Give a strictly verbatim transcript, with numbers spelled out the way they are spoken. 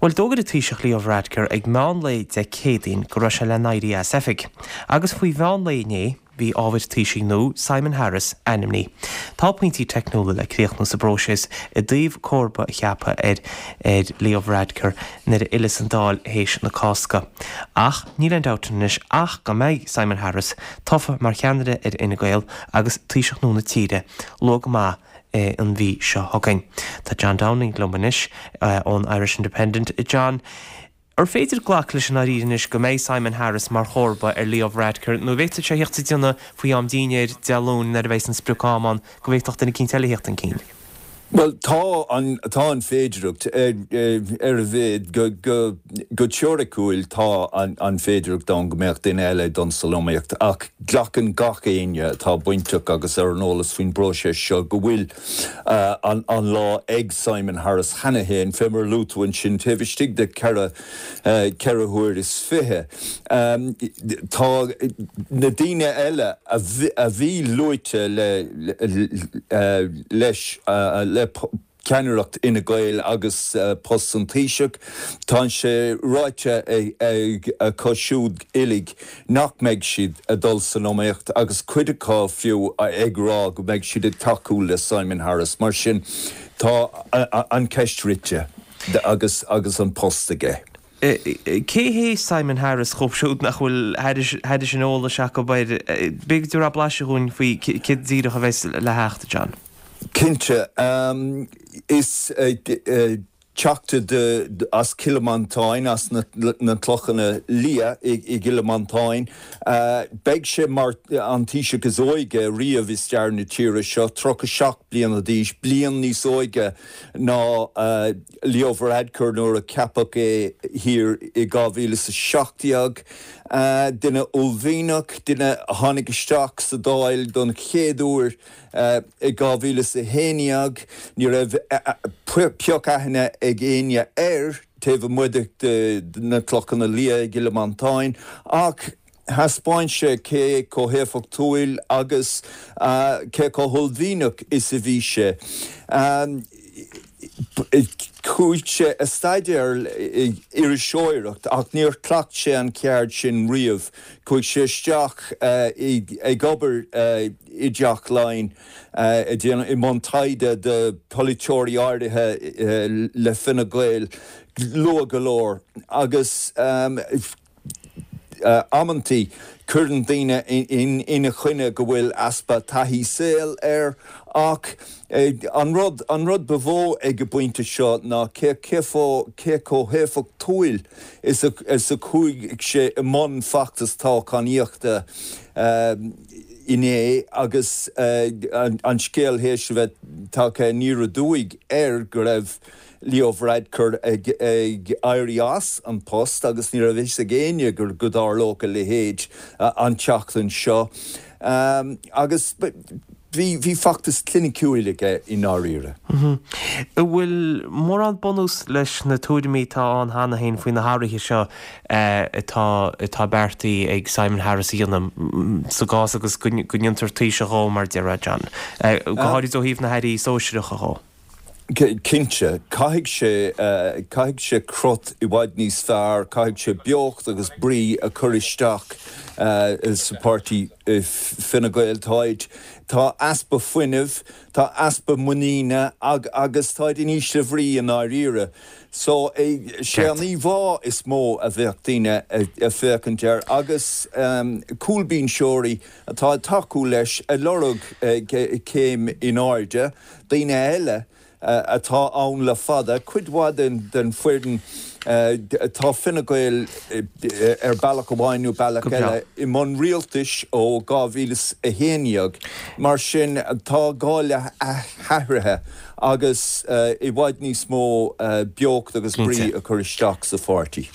Bhuel, d'fhógair an Taoiseach Leo Varadkar ag meán lae Dé Céadaoin go raibh sé le n-éirí as oifig. Agus faoi mheán lae inné, bhí ábhar Taoisigh nua, Simon Harris, ainmnithe. Tá pointí teicniúla le críochnú sa bpróiseas i dtaobh comharba a cheapadh ar ar Leo Varadkar nuair a fhilleas an Dáil théis na Cásca. Ach níl aon dabht anois ach go mbeidh Simon Harris tofa mar cheannaire ar Fhine Gael agus Taoiseach nua na tíre luath go maith an mhí seo chugainn. Tá John Downing liom anois ón Irish Independent. John, ar féidir glacadh leis an áirír anois go mbeidh Simon Harris mar chomharba ar Leo Varadkar nó bhféadfadh sé theacht sa déanamh faoi am dinnéir Dé Luain nuair a bheidh an sprioc-am ann go bhféadfadh duine eicínt eile theacht chun cinn. Well tá an tá an féidireacht ar ar a mhéad go go go teoiriciúil tá an, an féidireacht ann go mbeadh duine eile don san iomaíocht ach glacann gach éinne atá bainteach agus ar an eolas faoin bpróiseas seo go bhfuil uh, an, an lá ag Simon Harris cheana féin fé mar luaigh tú ansin taobh istigh de ceithre uh, ceithre huair is fiche. Um, tá na daoine eile a bhí luaite le, le, le, leis uh, le ceannaireacht Fhine Gael agus uh, post an Taoiseach, Tá sé ráite ag acu siúd uilig nach mbeidh siad ag dul san iomaíocht agus cuid acu fiú ag rá go mbeidh siad ag tacú le Simon Harris, mar sin tá an ceist rite agus agus an post aige. Cé hé Simon Harris dóibh siúd nach bhfuil thairis an eolas acu b'fhéidir a blaiseadh dúinn faoi cé díreach a bheas le theacht John. Cinnte um, is uh, uh, teachta de, de, as Cill Mhantáin as na, na Clochanna Liath i, i gCill Mhantáin. Uh, Beidh sé mar an Taoiseach is óige riamh i stair na tíre seo tríocha seacht bliana d'aois, bliain níos óige ná uh, Leo Varadkar nuair a ceapadh é thiar i dhá mhíle is a seacht déag. Uh, duine uaillmhianach duine a tháinig isteach sa Dáil don chéad uair uh, i dhá mhíle is a haon déag, ní raibh pioc aithne ag éinne air taobh amuigh de na Clochanna Liath i gCill Mhantáin ach thaispeáin sé cé chomh héifeachtúil agus uh, cé chomh huaillmhianach is a bhí sé. Um, Chuaigh sé a staidéar iriseoireacht ach níor chleacht sé an ceard sin riamh, chuaigh sé isteach uh, ag obair uh, i dTeach Laighean uh, i mbun taighde de pholaiteoirí áirithe uh, le Fine Gael luath go leor agus um, uh, amantaí cuireann daoine ina choinne go bhfuil easpa taithí saoil air ach eh, an rud an rud ba mhó ag an bpointe seo ná cé cé cé chomh héifeachtúil is a, is a chuaigh sé i mbun feachtas toghchánaíochta uh, inné agus uh, an, an scéal théis bheith tagtha aniar aduaidh air go raibh Leo Varadkar ag, ag éirí as an post agus ní raibh fhios ag éinne gur go dtarlódh a leithéid uh, an tseachtain seo. Um, agus bhí bhí feachtas cliniciúil aige i ndáiríre. Mhm. Bhfuil mórán bunús leis na tuairimí atá ann cheana féin faoi na hathruithe seo atá atá beartaithe ag Simon Harris a dhéanamh sa gcás agus go ndéantar Taoiseach dhó mar deir John. Go háirid ó thaobh na hairí sóisearacha dhó. Cinnte, caithfidh sé uh, caithfidh sé crot i bhfad níos fearr, caithfidh sé beocht agus brí a chur isteach uh, sa pháirtí uh, Fine Gael táid. Tá easpa fuinnimh, tá easpa muiníne ag, agus táid in ísle bhrí i ndáiríre. So sé an íomhá is mó a bheadh daoine ag féachaint air agus um, cúlbhinseoirí atá ag tacú leis ag lorg uh, céim in airde, daoine eile uh, atá ann le fada, cuid mhaith den, den foireann uh, tá Fine Gael uh, ar bealach amháin nó bealach eile i mbun rialtais ó dhá mhíle a haon déag. Mar sin tá gá le hathruithe agus uh, i bhfad níos mó uh, beocht agus brí a chur isteach sa pháirtí.